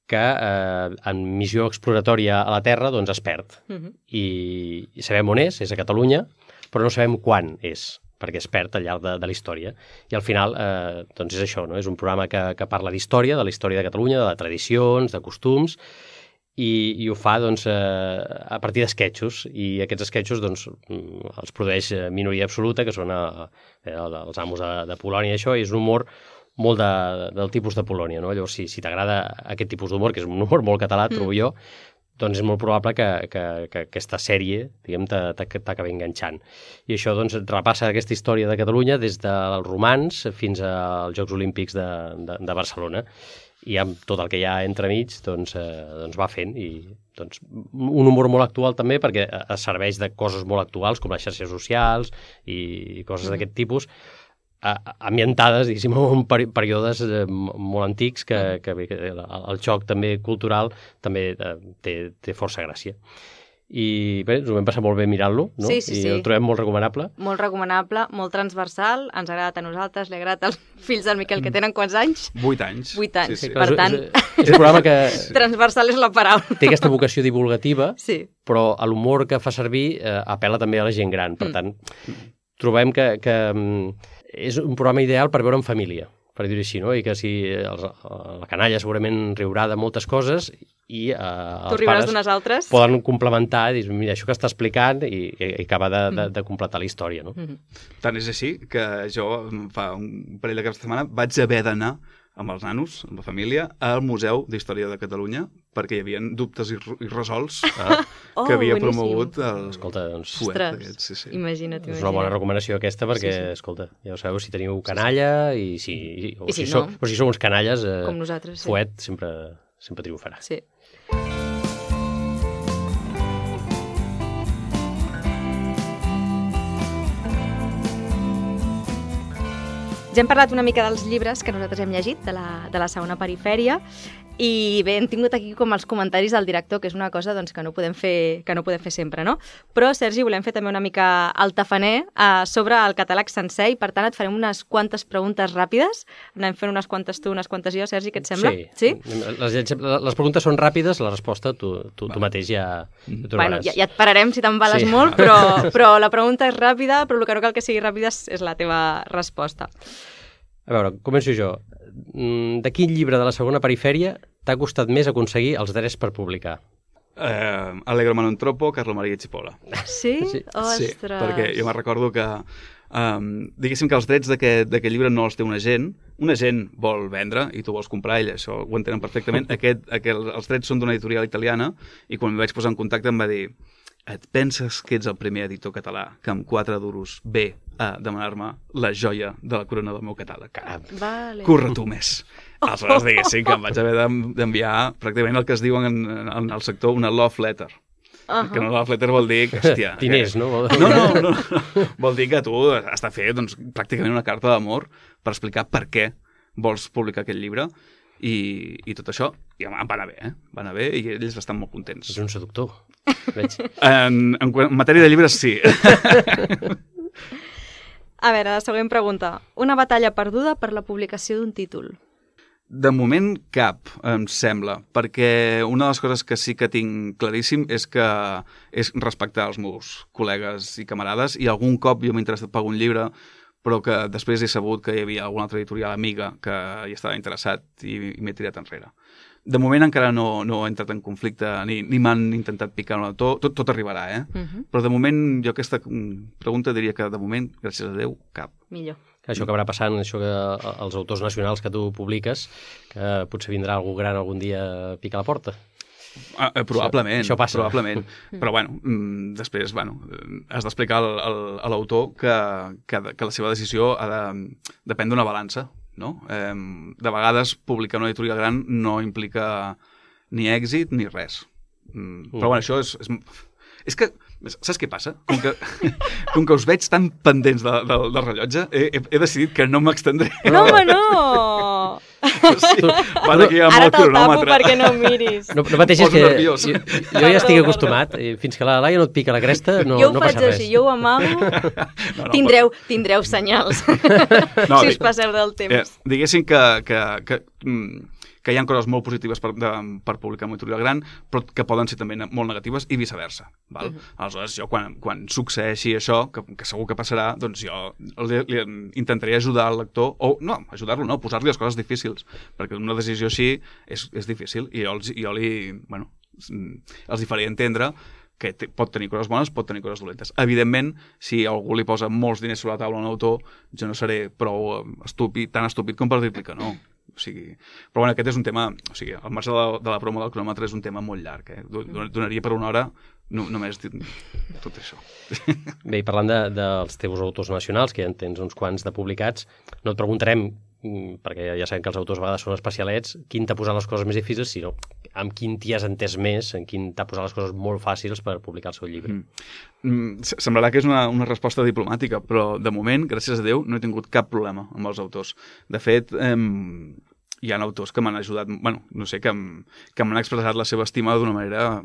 que en missió exploratòria a la Terra doncs es perd. I sabem on és a Catalunya, però no sabem quan és, perquè es perd al llarg de la història. I al final doncs és això, no? És un programa que parla d'història, de la història de Catalunya, de tradicions, de costums, i ho fa doncs, a partir d'esquetxos, i aquests esquetxos doncs, els produeix Minoria Absoluta, que són els amos de Polònia, això, i és un humor molt del tipus de Polònia, no? Llavors, si t'agrada aquest tipus d'humor, que és un humor molt català, trobo jo, doncs és molt probable que aquesta sèrie, diguem, t'acabi enganxant. I això doncs repassa aquesta història de Catalunya des dels romans fins als Jocs Olímpics de Barcelona. I amb tot el que hi ha entremig doncs va fent, i doncs, un humor molt actual també, perquè es serveix de coses molt actuals com les xarxes socials i coses d'aquest tipus, ambientades, diguéssim, en períodes molt antics, que el xoc també cultural també té força gràcia. i bé, ens ho vam passar molt bé mirant-lo, no? Sí. I el trobem molt recomanable. Molt recomanable, molt transversal, ens ha agradat a nosaltres, li ha agradat als fills del Miquel, que tenen quants anys? 8 anys. 8 anys, Sí, sí. per tant... És un programa que Transversal és la paraula. té aquesta vocació divulgativa, Sí. però l'humor que fa servir apel·la també a la gent gran. Per tant, trobem que és un programa ideal per veure en família, per dir-ho així, no? I que si la canalla segurament riurà de moltes coses i Tu els riuràs pares d'unes altres? poden complementar i dir, mira, això que està explicant i acaba de completar la història, no? Tant és així que jo fa un parell de caps de setmana vaig haver d'anar amb els nanos, amb la família, al Museu d'Història de Catalunya perquè hi havia dubtes irresolts Oh, que havia boníssim. promogut el Escolta, doncs, fuet Ostres, aquest. Sí, sí. imagina't. és una bona recomanació aquesta perquè, escolta, ja ho sabeu, si teniu canalla i si I si sou, no. o si sou uns canalles, Com nosaltres, sí. fuet sempre triomfarà. Sí. Ja hem parlat una mica dels llibres que nosaltres hem llegit de la segona perifèria i bé, hem tingut aquí com els comentaris del director, que és una cosa doncs, que no podem fer sempre, no? Però, Sergi, volem fer també una mica el tafaner sobre el catàleg sencer i, per tant, et farem unes quantes preguntes ràpides. Anem fent unes quantes tu, unes quantes jo, Sergi, què et sembla? Sí. Les preguntes són ràpides, la resposta tu mateix ja trobaràs. Bueno, ja et pararem si t'embales molt, però la pregunta és ràpida, però el que no cal que sigui ràpida és la teva resposta. A veure, començo jo. De quin llibre de la segona perifèria t'ha costat més aconseguir els drets per publicar? Allegro Manontropo, Carlo Maria Cipolla. Sí? Sí. Ostres! Sí, perquè jo me'n recordo que diguéssim que els drets d'aquest llibre no els té un agent vol vendre i tu vols comprar, ell això ho entenen perfectament, els drets són d'una editorial italiana i quan em vaig posar en contacte em va dir et penses que ets el primer editor català que amb 4 duros ve a demanar-me la joia de la corona del meu catàleg? Caram, Vale. corre tu més. Aleshores, diguéssim que em vaig haver d'enviar pràcticament el que es diu en el sector una love letter. Que una love letter vol dir que, hòstia... Diners, no? No. Vol dir que tu has de fer doncs, pràcticament una carta d'amor per explicar per què vols publicar aquest llibre i tot això, i em va anar bé, Va anar bé i ells estan molt contents. És un seductor, veig. En matèria de llibres, sí. A veure, la següent pregunta. Una batalla perduda per la publicació d'un títol. De moment cap, em sembla, perquè una de les coses que sí que tinc claríssim és respectar els meus col·legues i camarades, i algun cop jo m'he interessat per un llibre, però que després he sabut que hi havia alguna altra editorial amiga que hi estava interessat i m'he tirat enrere. De moment encara no he entrat en conflicte, ni m'han intentat picar un autor, tot arribarà, Però de moment jo aquesta pregunta diria que de moment, gràcies a Déu, cap. Millor. Això acabarà passant, això que els autors nacionals que tu publiques, que potser vindrà algú gran algun dia a picar la porta. Probablement, això passa. Probablement. Però bueno, després has d'explicar a l'autor que la seva decisió depèn d'una balança, no? De vegades publicar una editorial gran no implica ni èxit ni res. Però bueno, això és que, saps què passa? Com que us veig tan pendents del rellotge, he decidit que no m'extendré. No, home, no! Sí, van aquí amb Ara el te'l tapo cronòmetre. perquè no em miris. No pateixis, Poso que nerviós. jo ja estic acostumat. Fins que la Laia no et pica la cresta, no Jo ho passa faig res. així, jo ho amago. Tindreu senyals si us passeu del temps. Diguéssim que hi ha coses molt positives per publicar una editorial gran, però que poden ser també molt negatives i viceversa. Val? Aleshores, jo quan succeeixi això, que segur que passarà, doncs jo li intentaré ajudar el lector, o no, ajudar-lo no, posar-li les coses difícils, perquè una decisió així és difícil, i els faré entendre que pot tenir coses bones, pot tenir coses dolentes. Evidentment, si algú li posa molts diners sobre la taula a un autor, jo no seré prou tan estúpid com per dir-li que no. Però bueno, aquest és un tema, al marge de la promo del cronòmetre és un tema molt llarg, donaria per una hora només tot això. Bé, i parlant dels teus autors nacionals, que ja en tens uns quants de publicats, no et preguntarem, perquè ja sabem que els autors a vegades són especialets, quin t'ha posat les coses més difícils, sinó amb quin t'hi has entès més, en quin t'ha posat les coses molt fàcils per publicar el seu llibre. Semblarà que és una resposta diplomàtica, però de moment, gràcies a Déu, no he tingut cap problema amb els autors. De fet, hi ha autors que m'han ajudat, bueno, no sé, que m'han expressat la seva estima d'una manera,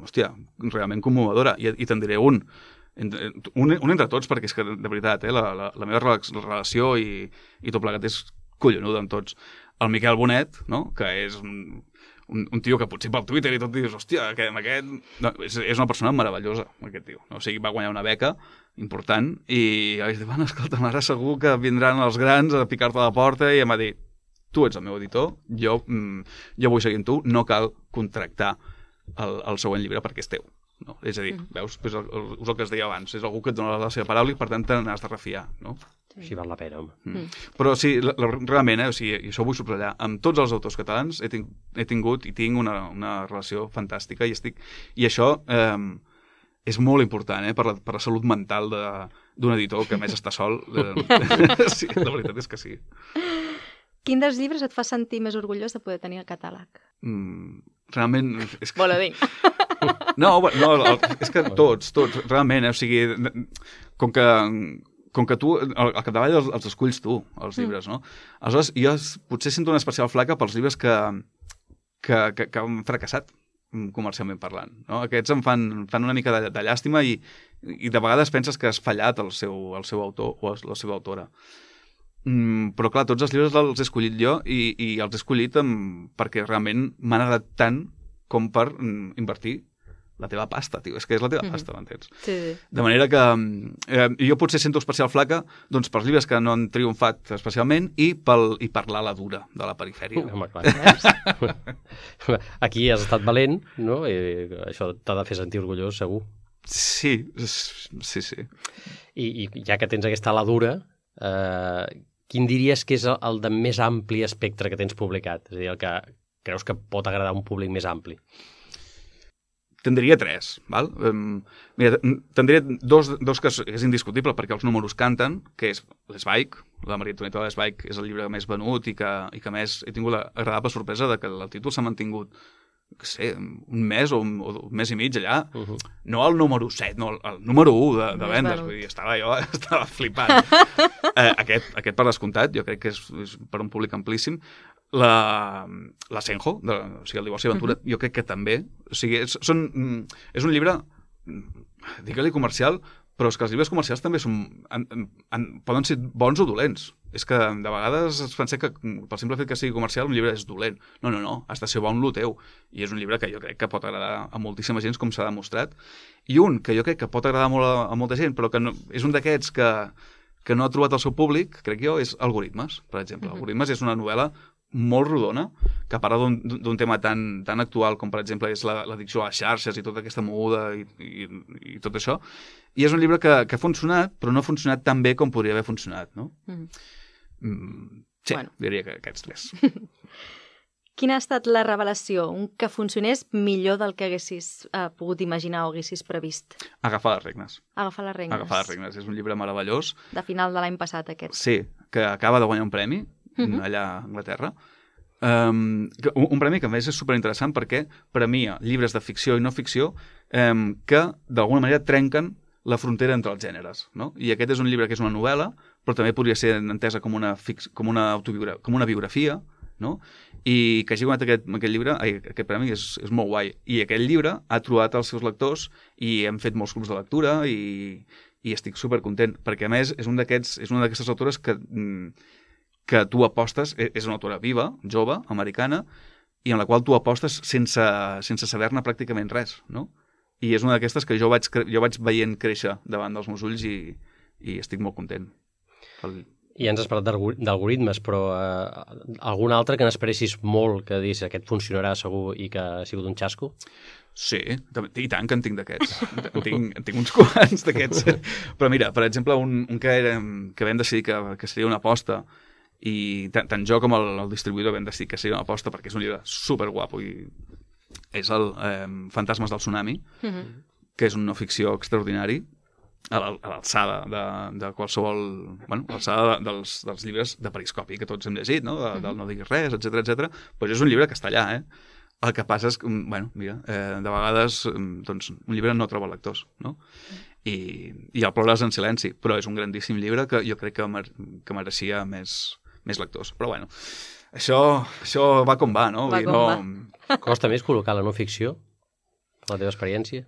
hòstia, realment commovedora. I te'n diré un entre tots, perquè és que, de veritat, la meva relació i tot plegat és collonuda amb tots. El Miquel Bonet, no?, que és un tio que potser pel Twitter i tot dius, hòstia, aquest... No, és una persona meravellosa, aquest tio. O sigui, va guanyar una beca important i vaig dir, bueno, escolta, ara segur que vindran els grans a picar-te a la porta, i em va dir, tu ets el meu editor, jo vull seguir amb tu, no cal contractar el següent llibre perquè és teu. No? És a dir, veus, és el que es deia abans, és algú que et dona la seva paraula i per tant te n'has de refiar, no? Així val la pena, home. Però sí, realment, o sigui, i això ho vull subratllar, amb tots els autors catalans he tingut i tinc una relació fantàstica i això és molt important per la salut mental d'un editor que a més està sol. Sí, la veritat és que sí. Quin dels llibres et fa sentir més orgullós de poder tenir el catàleg? Realment... Vol dir. No, és que tots, realment, o sigui, com que tu, al capdavall els esculls tu, els llibres, no? Aleshores, jo potser sento una especial flaca pels llibres que han fracassat, comercialment parlant, no? Aquests em fan una mica de llàstima i de vegades penses que has fallat el seu autor o la seva autora. Però clar, tots els llibres els he escollit jo i els he escollit perquè realment m'han agradat tant com per invertir la teva pasta, tio. És que és la teva pasta, m'entens? Sí. De manera que jo potser sento especial flaca doncs, pels llibres que no han triomfat especialment i per l'ala dura de la perifèria. Home, clar. Aquí has estat valent, no? I això t'ha de fer sentir orgullós, segur. Sí. I ja que tens aquesta ala dura, quin diries que és el de més ampli espectre que tens publicat? És a dir, el que creus que pot agradar a un públic més ampli? Te'n diria 3, val? Mira, te'n diré dos que és indiscutible perquè els números canten, que és l'Esbaik, la Maria Antonieta de l'Esbaik és el llibre més venut i que més he tingut l'agradable sorpresa de que el títol s'ha mantingut un mes o un mes i mig allà. No el número 7, no, el número 1 de vendes. Vull dir, estava flipant. Aquest per descomptat, jo crec que és per un públic amplíssim. La Senjo, o sigui, el divorci d'aventura, jo crec que també. O sigui, és un llibre, digue-li comercial, però és que els llibres comercials també poden ser bons o dolents. És que de vegades es pensa que pel simple fet que sigui comercial un llibre és dolent. No, has de ser bon lo teu. I és un llibre que jo crec que pot agradar a moltíssima gent, com s'ha demostrat. I un que jo crec que pot agradar molt a molta gent, però que és un d'aquests que no ha trobat el seu públic, crec jo, és Algoritmes, per exemple. Algoritmes és una novel·la molt rodona, que parla d'un tema tan actual com, per exemple, és l'addicció a les xarxes i tota aquesta moguda i tot això. I és un llibre que ha funcionat, però no ha funcionat tan bé com podria haver funcionat, no? Sí, diria que aquests 3. Quina ha estat la revelació? Un que funcionés millor del que haguessis pogut imaginar o haguessis previst? Agafar les regnes. Agafar les regnes. Agafar les regnes. És un llibre meravellós. De final de l'any passat, aquest. Sí, que acaba de guanyar un premi allà a Anglaterra. Un premi que a més és superinteressant perquè premia llibres de ficció i no ficció que d'alguna manera trenquen la frontera entre els gèneres, no? I aquest és un llibre que és una novel·la, però també podria ser entesa com una biografia, no? I que hagi guanyat aquest llibre, aquest premi és molt guai. I aquest llibre ha trobat els seus lectors i hem fet molts clubs de lectura i estic supercontent, perquè a més és una d'aquestes autores que tu apostes, és una autora viva, jove, americana, i en la qual tu apostes sense saber-ne pràcticament res, no? I és una d'aquestes que jo vaig veient créixer davant dels meus ulls i estic molt content. I ja ens has parlat d'algoritmes, però algun altre que n'esperessis molt, que diguis aquest funcionarà segur i que ha sigut un xasco? Sí, i tant que en tinc d'aquests. En tinc uns quants d'aquests. Però mira, per exemple, un que vam decidir que seria una aposta, i tant jo com el distribuïdor vam decidir que seria una aposta perquè és un llibre superguapo i és el Fantasmes del Tsunami, que és un no ficció extraordinari a l'alçada de qualsevol... Bueno, a l'alçada dels llibres de Periscopi que tots hem llegit, no? Del No diguis res, etc. Doncs és un llibre que està allà, El que passa és que, bueno, mira, de vegades doncs, un llibre no troba lectors, no? I el plores en silenci, però és un grandíssim llibre que jo crec que mereixia més més lectors. Però bueno, això va com va, no? Va com va. Costa més col·locar la no ficció, per la teva experiència?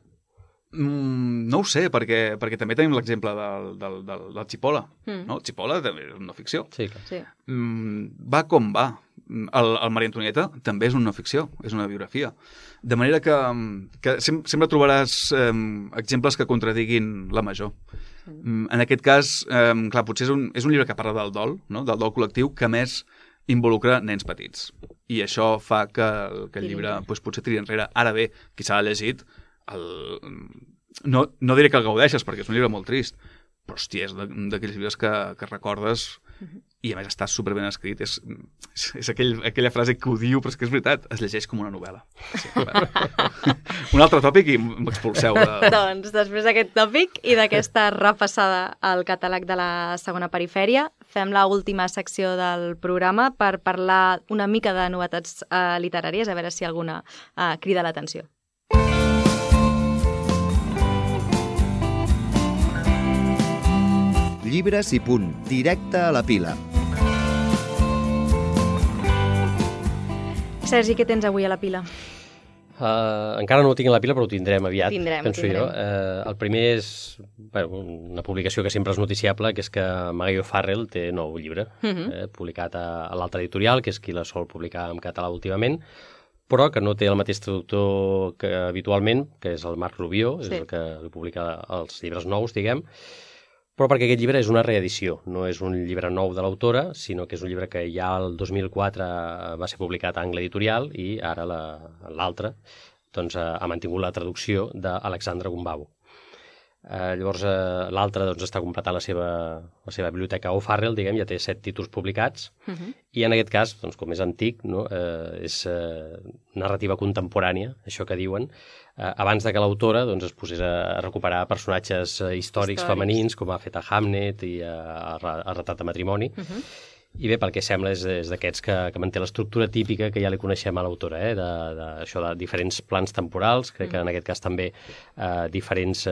No ho sé, perquè també tenim l'exemple del Chipola. No? El Chipola també és una no ficció. Sí, clar. Sí. Va com va. El Maria Antonieta també és una no ficció, és una biografia. De manera que sempre trobaràs exemples que contradiguin la major. En aquest cas, clar, potser és un llibre que parla del dol, no? Del dol col·lectiu, que més involucra nens petits. I això fa que el llibre potser tiri enrere. Ara bé, qui s'ha llegit, no diré que el gaudeixes, perquè és un llibre molt trist, però, hòstia, és d'aquells llibres que recordes i, a més, està superben escrit. És aquella frase que ho diu, però és que és veritat, es llegeix com una novel·la. Sí, un altre tòpic i m'expulseu. Doncs, després d'aquest tòpic i d'aquesta repassada al catàleg de la segona perifèria, fem l'última secció del programa per parlar una mica de novetats literàries, a veure si alguna crida l'atenció. Llibres i punt, directe a la pila. Sergi, què tens avui a la pila? Encara no ho tinc a la pila, però ho tindrem aviat, penso jo. El primer és una publicació que sempre és noticiable, que és que Maggie O'Farrell té nou llibre, publicat a l'altra editorial, que és qui la sol publicar en català últimament, però que no té el mateix traductor que habitualment, que és el Marc Rubio, és el que publica els llibres nous, diguem, però perquè aquest llibre és una reedició, no és un llibre nou de l'autora, sinó que és un llibre que ja el 2004 va ser publicat a Angle Editorial i ara l'altre doncs, ha mantingut la traducció d'Alexandra Gumbau. Llavors l'altre doncs, està completant la seva biblioteca O'Farrell, diguem, ja té 7 títols publicats, i en aquest cas, doncs, com és antic, no, és narrativa contemporània, això que diuen, abans de que l'autora doncs, es posés a recuperar personatges històrics femenins, com ha fet a Hamnet i a Retrat de matrimoni. I bé, pel que sembla, és d'aquests que manté l'estructura típica que ja li coneixem a l'autora, això de diferents plans temporals, crec que en aquest cas també diferents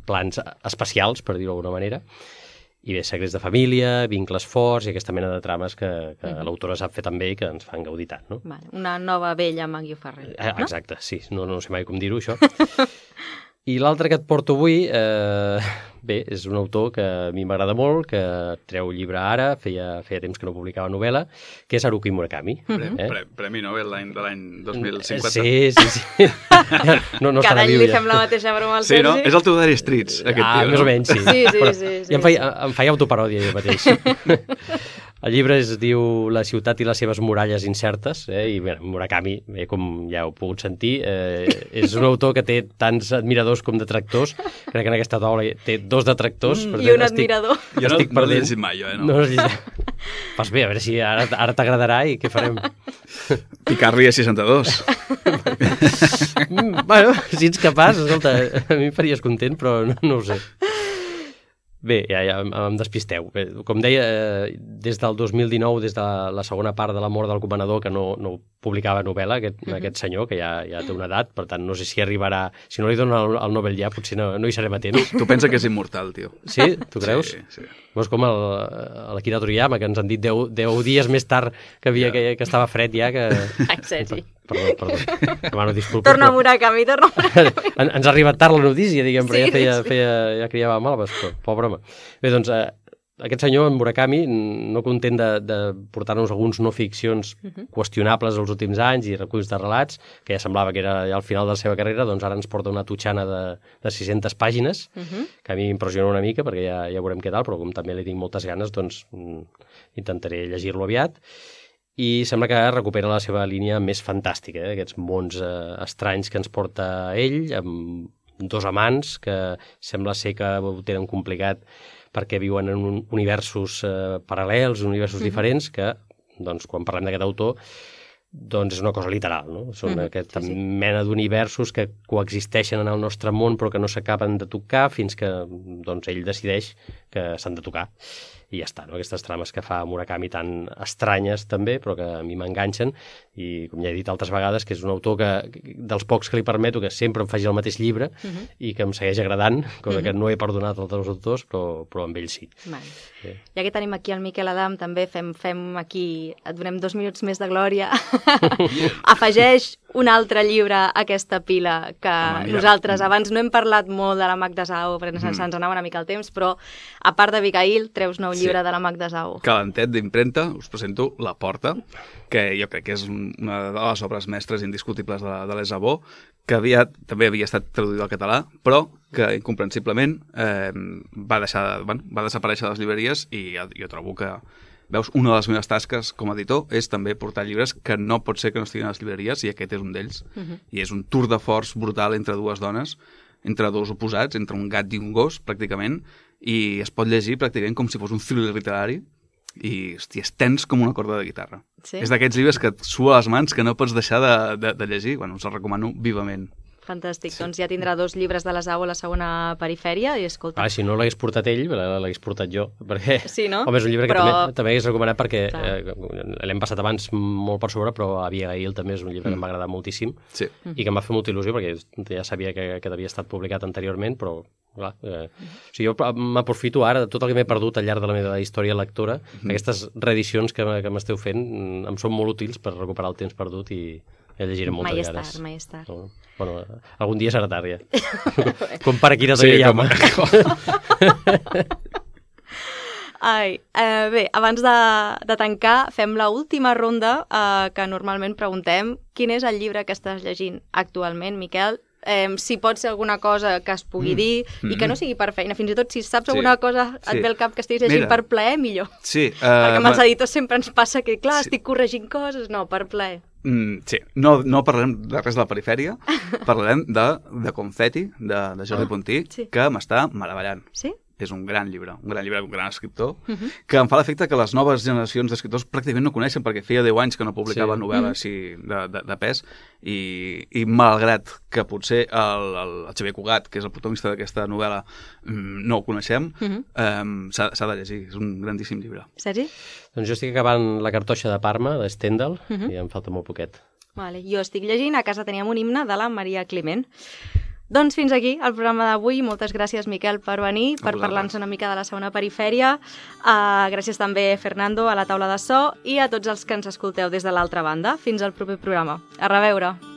plans espacials, per dir-ho d'alguna manera, i bé, secrets de família, vincles forts i aquesta mena de trames que l'autora sap fer també i que ens fan gaudir tant, no? Vale, una nova vella Maggie O'Farrell, no? Exacte, sí, no sé mai com dir-ho, això. I l'altre que et porto avui, bé, és un autor que a mi m'agrada molt, que treu llibre ara, feia temps que no publicava novel·la, que és Haruki Murakami. Premi Nobel de l'any 2050. Sí. No cada any li fem la mateixa broma al Sergi. Sí, no? És el teu Dire Straits, aquest tio. Més o menys, sí. Sí. I em feia autoparòdia jo mateix. El llibre es diu La ciutat i les seves muralles incertes, i bé, Murakami, com ja heu pogut sentir, és un autor que té tants admiradors com detractors. Crec que en aquesta taula té 2 detractors. I un admirador. Jo no l'he llegit mai, jo, no l'he llegit. Pues bé, a veure si ara t'agradarà i què farem. Picar-li a 62. Bueno, si ets capaç, escolta, a mi em faries content, però no ho sé. Bé, ja em despisteu. Bé, com deia, des del 2019, des de la segona part de La mort del comanador, que no publicava novel·la, aquest senyor, que ja té una edat, per tant, no sé si arribarà... Si no li donen el Nobel ja, potser no hi serem a temps. Tu pensa que és immortal, tio. Sí? Tu creus? Sí. És com l'Akira Toriyama, que ens han dit 10 dies més tard que estava fred ja, que... Sergi. Perdó. Demano disculpes. Torna a Murakami. Ens ha arribat tard la notícia, diguem, però ja criava malves, però pobre home. Bé, doncs, aquest senyor, en Murakami, no content de portar-nos alguns no ficcions qüestionables els últims anys i reculls de relats, que ja semblava que era ja al final de la seva carrera, doncs ara ens porta una tutxana de 600 pàgines, que a mi m'impressiona una mica, perquè ja veurem què tal, però com també li tinc moltes ganes, doncs intentaré llegir-lo aviat. I sembla que recupera la seva línia més fantàstica, aquests mons estranys que ens porta ell, amb 2 amants que sembla ser que ho tenen complicat perquè viuen en universos paral·lels, universos diferents, que, doncs, quan parlem d'aquest autor, doncs és una cosa literal, no? Són aquesta mena d'universos que coexisteixen en el nostre món però que no s'acaben de tocar fins que doncs, ell decideix que s'han de tocar. ja està, no? Aquestes trames que fa Murakami tan estranyes també, però que a mi m'enganxen, i com ja he dit altres vegades, que és un autor dels pocs que li permeto que sempre em faci el mateix llibre i que em segueix agradant, cosa que no he perdonat als altres autors, però amb ell sí. Vale. Ja que tenim aquí el Miquel Adam, també fem aquí, et donem 2 minuts més de glòria. Afegeix un altre llibre a aquesta pila que nosaltres abans no hem parlat molt de la Magda Sao, perquè se'ns anava una mica el temps, però a part de Abigail, treus nou llibre de la Magda Sao. Calentet d'impremta, us presento La Porta, que jo crec que és una de les obres mestres indiscutibles de l'Esabó, que també havia estat traduït al català, però que incomprensiblement va desaparèixer de les llibreries, i jo trobo que, veus, una de les meves tasques com a editor és també portar llibres que no pot ser que no estiguin a les llibreries, i aquest és un d'ells. I és un tour de force brutal entre dues dones, entre dos oposats, entre un gat i un gos, pràcticament, i es pot llegir pràcticament com si fos un thriller literari, i, hòstia, és tens com una corda de guitarra. Sí? És d'aquests llibres que et sua les mans, que no pots deixar de llegir. Bueno, us el recomano vivament. Fantàstic, doncs ja tindrà 2 llibres de l'Esau a la segona perifèria, i escolta... Si no l'hagués portat ell, l'hagués portat jo, perquè... Sí, no? Home, és un llibre que també hagués recomanat perquè l'hem passat abans molt per sobre, però Abigail també és un llibre que m'ha agradat moltíssim i que em va fer molta il·lusió, perquè ja sabia que havia estat publicat anteriorment, però clar, jo m'aprofito ara de tot el que m'he perdut al llarg de la meva història lectora. Aquestes reedicions que m'esteu fent em són molt útils per recuperar el temps perdut, i ja llegiré moltes vegades. Mai és tard. Bueno, algun dia serà tard, ja. Com para Akira Toriyama. Bé, abans de tancar, fem l'última ronda que normalment preguntem quin és el llibre que estàs llegint actualment, Miquel. Si pot ser alguna cosa que es pugui dir i que no sigui per feina. Fins i tot si saps alguna cosa et ve al cap que estiguis llegint per plaer, millor. Sí. Perquè amb els editors sempre ens passa que, clar, estic corregint coses. No, per plaer. Sí, no parlarem de res de la perifèria, parlarem de Confetti, de Jordi Puntí, que m'està meravellant. Sí? És un gran llibre, un gran escriptor, que em fa l'efecte que les noves generacions d'escriptors pràcticament no coneixen, perquè feia 10 anys que no publicava novel·la així de pes, i malgrat que potser el Xavier Cugat, que és el protagonista d'aquesta novel·la, no ho coneixem, s'ha de llegir, és un grandíssim llibre. Sergi? Doncs jo estic acabant La cartoixa de Parma, de Stendhal, i em falta molt poquet. Jo estic llegint A casa teníem un himne, de la Maria Climent. Doncs fins aquí el programa d'avui. Moltes gràcies, Miquel, per venir, per parlar-nos una mica de la segona perifèria. Gràcies també, Fernando, a la taula de so, i a tots els que ens escolteu des de l'altra banda. Fins al proper programa. A reveure!